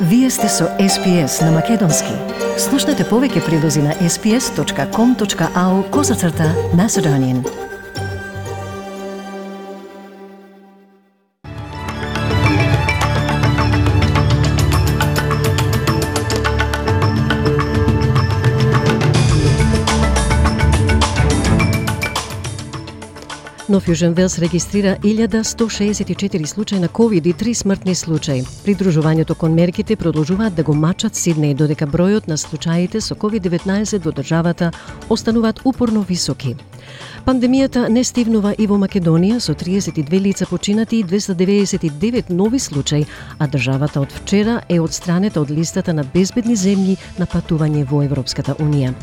Вие сте со SPS на Македонски. Слушнете повеќе прилози на sps.com.au/Macedonian. Нов Јужен Велс регистрира 1164 случаи на COVID и 3 смртни случаи. Придружувањето кон мерките продолжуваат да го мачат Сиднеј, додека бројот на случаите со COVID-19 во државата остануваат упорно високи. Пандемијата не стивнува и во Македонија, со 32 лица починати и 299 нови случаи, а државата од вчера е одстранета од листата на безбедни земји на патување во Европската Унија.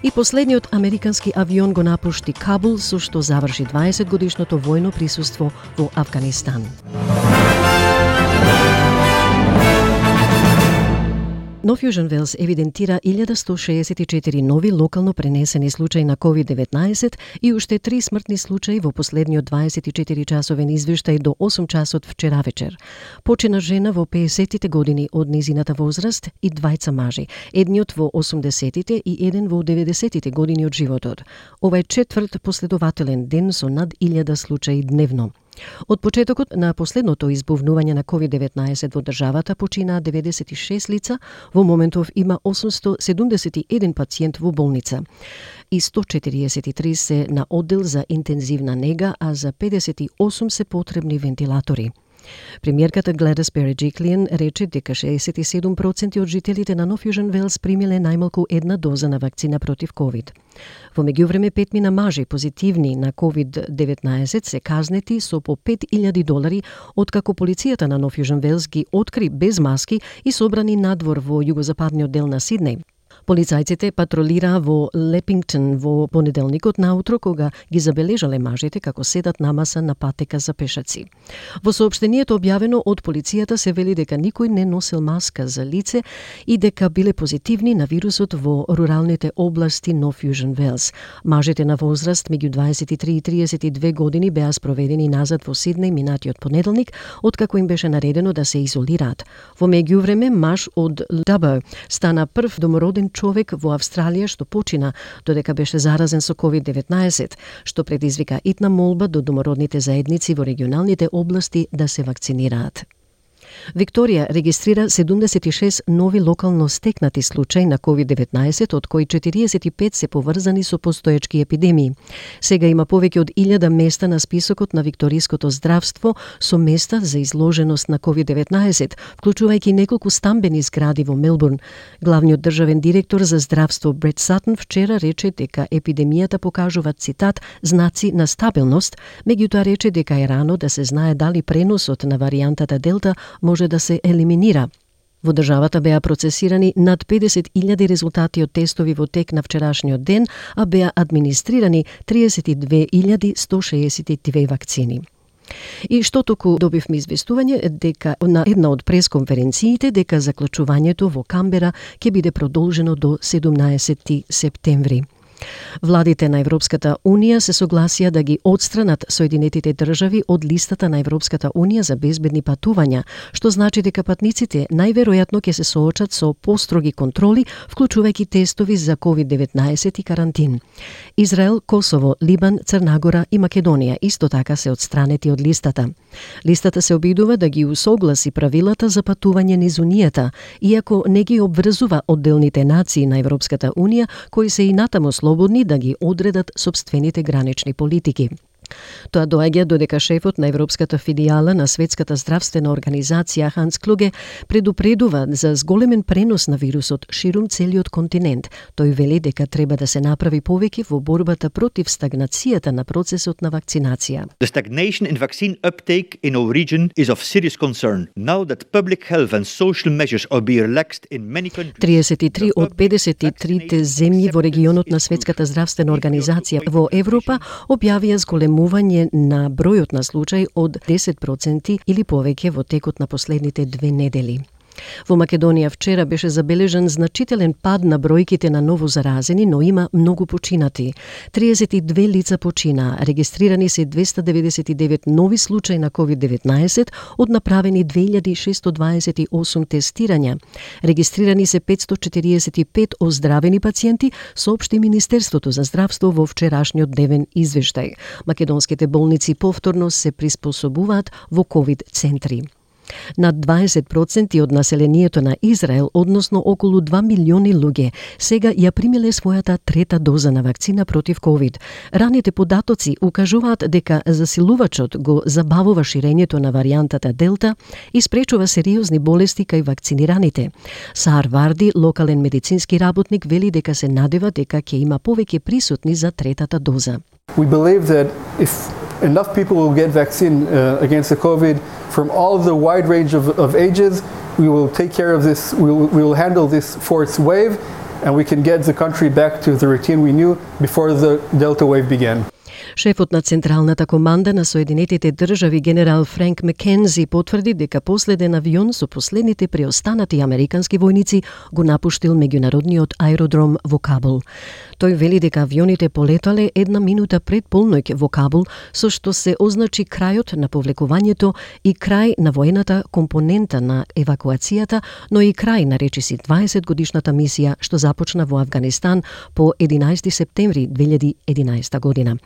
И последниот американски авион го напушти Кабул, со што заврши 20-годишното војно присуство во Авганистан. Нов Јужен Велс евидентира 1164 нови локално пренесени случаи на COVID-19 и уште 3 смртни случаи во последниот 24-часовен извештај до 8 часот вчера вечер. Почина жена во 50-тите години од низината возраст и двајца мажи, едниот во 80-тите и еден во 90-тите години од животот. Ова е четврт последователен ден со над 1000 случаи дневно. Од почетокот на последното избувнување на COVID-19 во државата починаа 96 лица, во моментов има 871 пациент во болница и 143 се на оддел за интензивна нега, а за 58 се потребни вентилатори. Премиерката Гледис Береджиклиен рече дека 67% од жителите на Нов Јужен Велс примиле најмалку една доза на вакцина против COVID. Во меѓувреме 5 мажи позитивни на COVID-19 се казнети со по $5,000 откако полицијата на Нов Јужен Велс ги откри без маски и собрани надвор во југозападниот дел на Сиднеј. Полицајците патролираа во Лепингтон во понеделникот наутро, кога ги забележале мажите како седат намаса на патека за пешаци. Во соопштението објавено од полицијата се вели дека никој не носел маска за лице и дека биле позитивни на вирусот во руралните области Нов Јужен Велс. Мажите на возраст меѓу 23 и 32 години беа спроведени назад во Сиднеј минатиот понеделник, откако им беше наредено да се изолираат. Во меѓувреме маж од Дабо стана прв домороден човек во Австралија што почина додека беше заразен со COVID-19, што предизвика итна молба до домородните заедници во регионалните области да се вакцинираат. Викторија регистрира 76 нови локално стекнати случаи на COVID-19, од кои 45 се поврзани со постоечки епидемии. Сега има повеќе од 1000 места на списокот на викториското здравство со места за изложеност на COVID-19, вклучувајќи неколку стамбени згради во Мелбурн. Главниот државен директор за здравство Брет Сатон вчера рече дека епидемијата покажува, цитат, знаци на стабилност, меѓутоа рече дека е рано да се знае дали преносот на варијантата Делта може да се елиминира. Во државата беа процесирани над 50,000 резултати од тестови во тек на вчерашниот ден, а беа администрирани 32,162 вакцини. И што току добивме известување дека на една од пресконференциите дека заклучувањето во Камбера ќе биде продолжено до 17 септември. Владите на Европската Унија се согласија да ги одстранат Соединетите држави од листата на Европската Унија за безбедни патувања, што значи дека патниците најверојатно ќе се соочат со построги контроли, вклучувајќи тестови за COVID-19 и карантин. Израел, Косово, Либан, Црна Гора и Македонија исто така се одстранети од листата. Листата се обидува да ги усогласи правилата за патување низ Унијата, иако не ги обврзува одделните нации на Европската Унија, кои се и натаму слободни да ги одредат собствените гранични политики. Тоа доаѓа додека шефот на Европската филијала на Светската здравствена организација Ханс Клуге предупредува за зголемен пренос на вирусот ширум целиот континент. Тој вели дека треба да се направи повеќе во борбата против стагнацијата на процесот на вакцинација. The stagnation in vaccine uptake in our region is of serious concern. Now that public health and social measures are being relaxed in many countries. 33 од 53 земји во регионот на Светската здравствена организација во Европа објавија зголемување на бројот на случаи од 10% или повеќе во текот на последните 2 недели. Во Македонија вчера беше забележан значителен пад на бројките на ново заразени, но има многу починати. 32 лица почина, регистрирани се 299 нови случаи на COVID-19 од направени 2628 тестирања. Регистрирани се 545 оздравени пациенти, соопшти Министерството за здравство во вчерашниот дневен извештај. Македонските болници повторно се приспособуваат во COVID центри. Над 20% од населението на Израел, односно околу 2 милиони луѓе, сега ја примиле својата трета доза на вакцина против COVID. Раните податоци укажуваат дека засилувачот го забавува ширењето на варијантата Делта и спречува сериозни болести кај вакцинираните. Саар Варди, локален медицински работник, вели дека се надева дека ќе има повеќе присутни за третата доза. We believe that if enough people will get vaccine against the COVID from all of the wide range of ages, we will take care of this, we will handle this fourth wave, and we can get the country back to the routine we knew before the Delta wave began. Шефот на Централната команда на Соединетите држави генерал Франк Макензи потврди дека последен авион со последните преостанати американски војници го напуштил меѓународниот аеродром во Кабул. Тој вели дека авионите полетале 1 минута пред полноќ во Кабул, со што се означи крајот на повлекувањето и крај на воената компонента на евакуацијата, но и крај на речиси 20 годишната мисија што започна во Авганистан по 11 септември 2011 година.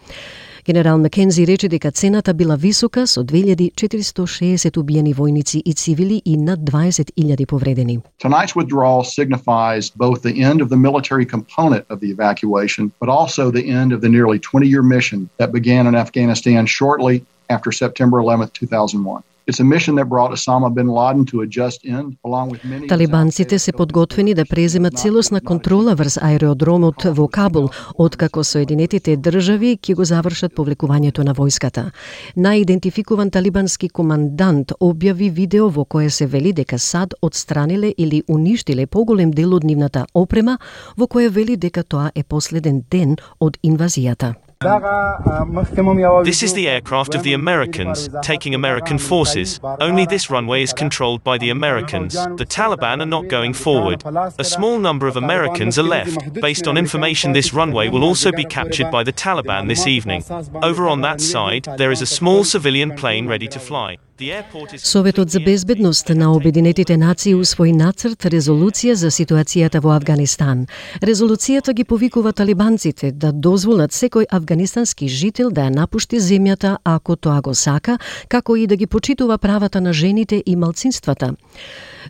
Генерал Макензи рече дека цената била висока со 2460 убиени војници и цивили и над 20,000 повредени. Tonight's withdrawal signifies both the end of the military component of the evacuation, but also the end of the nearly 20-year mission that began in Afghanistan shortly after September 11, 2001. It's a mission that brought Osama bin Laden to a just end, along with many. Талибанците се подготвени да преземат целосна контрола врз аеродромот во Кабул, откако Соединетите држави ќе го завршат повлекувањето на војската. Наидентификуван талибански командант објави видео во кое се вели дека САД отстраниле или уништиле поголем дел од нивната опрема, во кое вели дека тоа е последен ден од инвазијата. This is the aircraft of the Americans, taking American forces. Only this runway is controlled by the Americans. The Taliban are not going forward. A small number of Americans are left. Based on information, this runway will also be captured by the Taliban this evening. Over on that side, there is a small civilian plane ready to fly. Советот за безбедност на Обединетите нации усвои нацрт резолуција за ситуацијата во Авганистан. Резолуцијата ги повикува талибанците да дозволат секој афганистански жител да ја напушти земјата ако тоа го сака, како и да ги почитува правата на жените и малцинствата.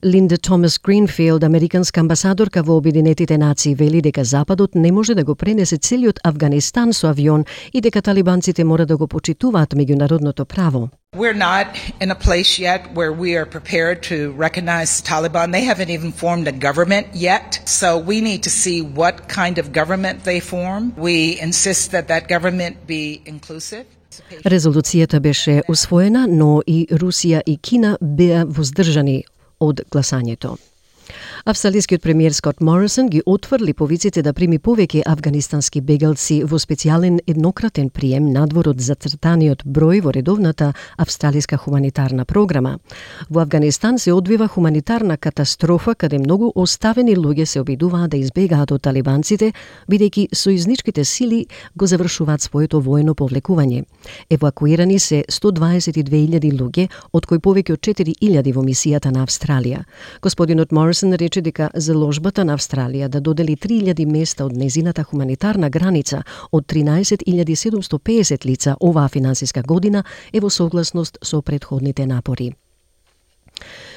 Линда Томас Гринфилд, американска амбасадорка во Обединетите нации, вели дека Западот не може да го пренесе целиот Авганистан со авион и дека талибанците мора да го почитуваат меѓународното право. We're not in a place yet where we are prepared to recognize the Taliban. They haven't even formed a government yet, so we need to see what kind of government they form. We insist that that government be inclusive. Резолуцијата беше усвоена, но и Русија и Кина беа воздржани од гласањето. Австралискиот премиер Скот Морисон ги отврли повиците да прими повеќе афганистански бегалци во специјален еднократен прием надвор од зацртаниот број во редовната австралиска хуманитарна програма. Во Авганистан се одвива хуманитарна катастрофа каде многу оставени луѓе се обидуваат да избегаат од талибанците, бидејќи сојузничките сили го завршуваат своето воено повлекување. Евакуирани се 122.000 луѓе, од кои повеќе од 4.000 во мисијата на Австралија. Господинот Морисон рече дека заложбата на Австралија да додели 3.000 места од незината хуманитарна граница од 13.750 лица оваа финансиска година е во согласност со претходните напори.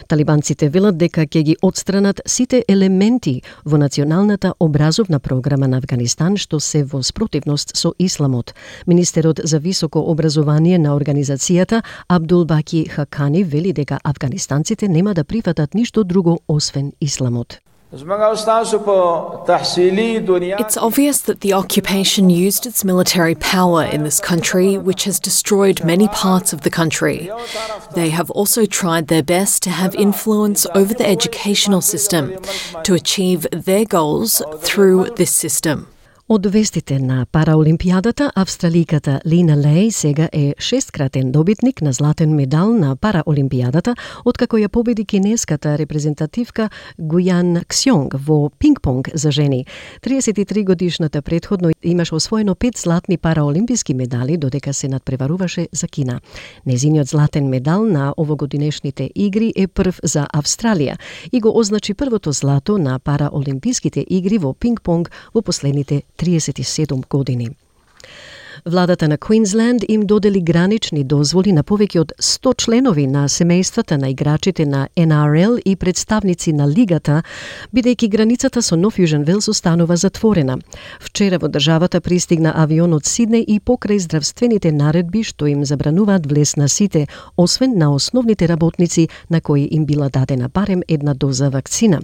Талибанците велат дека ќе ги отстранат сите елементи во националната образовна програма на Авганистан што се во спротивност со исламот. Министерот за високо образование на организацијата Абдул Баки Хакани вели дека афганистанците нема да прифатат ништо друго освен исламот. It's obvious that the occupation used its military power in this country, which has destroyed many parts of the country. They have also tried their best to have influence over the educational system to achieve their goals through this system. Од вестите на Параолимпијадата, австраликата Лина Леј сега е 6-кратен добитник на златен медал на Параолимпијадата, откако ја победи кинеската репрезентативка Гујан Ксјонг во пинг-понг за жени. 33 годишната претходно имаше освоено 5 златни параолимписки медали, додека се надпреваруваше за Кина. Незиниот златен медал на овогодинешните игри е прв за Австралија и го означи првото злато на Параолимписките игри во пинг-понг во последните 37 години. Владата на Квинсленд им додели гранични дозволи на повеќе од 100 членови на семејствата на играчите на NRL и представници на лигата, бидејќи границата со Нов Јужен Велс останува затворена. Вчера во државата пристигна авион од Сиднеј и покрај здравствените наредби што им забрануваат влез на сите, освен на основните работници на кои им била дадена барем една доза вакцина.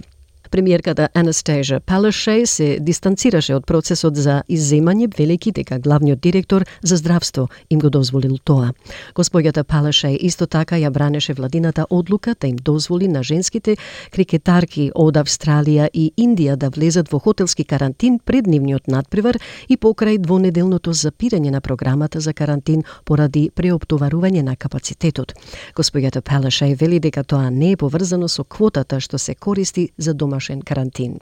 Премиерката Анастасија Палашеј се дистанцираше од процесот за изземање, велики дека главниот директор за здравство им го дозволил тоа. Госпоѓата Палашеј исто така ја бранеше владината одлука да им дозволи на женските крикетарки од Австралија и Индија да влезат во хотелски карантин пред нивниот надпревар и покрај двонеделното запирање на програмата за карантин поради преоптоварување на капацитетот. Госпоѓата Палашеј вели дека тоа не е поврзано со квотата што се користи за домашен карантин.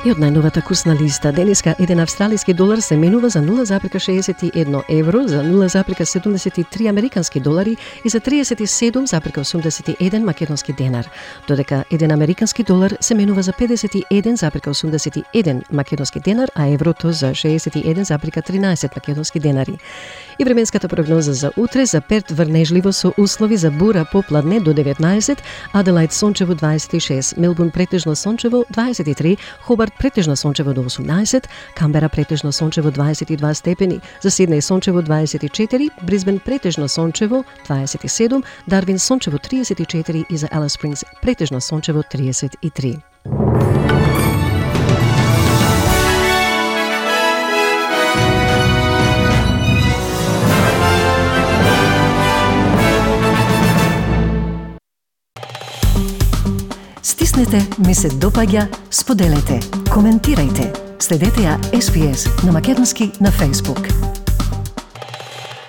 И од најновата курсна листа, денеска еден австралиски долар се менува за 0,61 евро, за 0,73 американски долари и за 37,81 македонски денар, додека еден американски долар се менува за 51,81 македонски денар, а еврото за 61,13 македонски денари. И временската прогноза за утре: за Перт врнежливо со услови за бура попладне до 19, Аделајд сончево 26, Мелбурн претежно сончево 23, Хобарт претежно сончево до 18, Камбера претежно сончево 22 степени, за Сиднеј сончево 24, Брисбен претежно сончево 27, Дарвин сончево 34 и за Алис Спрингс претежно сончево 33. Стиснете, ми се допаѓа, споделете, коментирајте. Следете ја SPS на македонски на Facebook.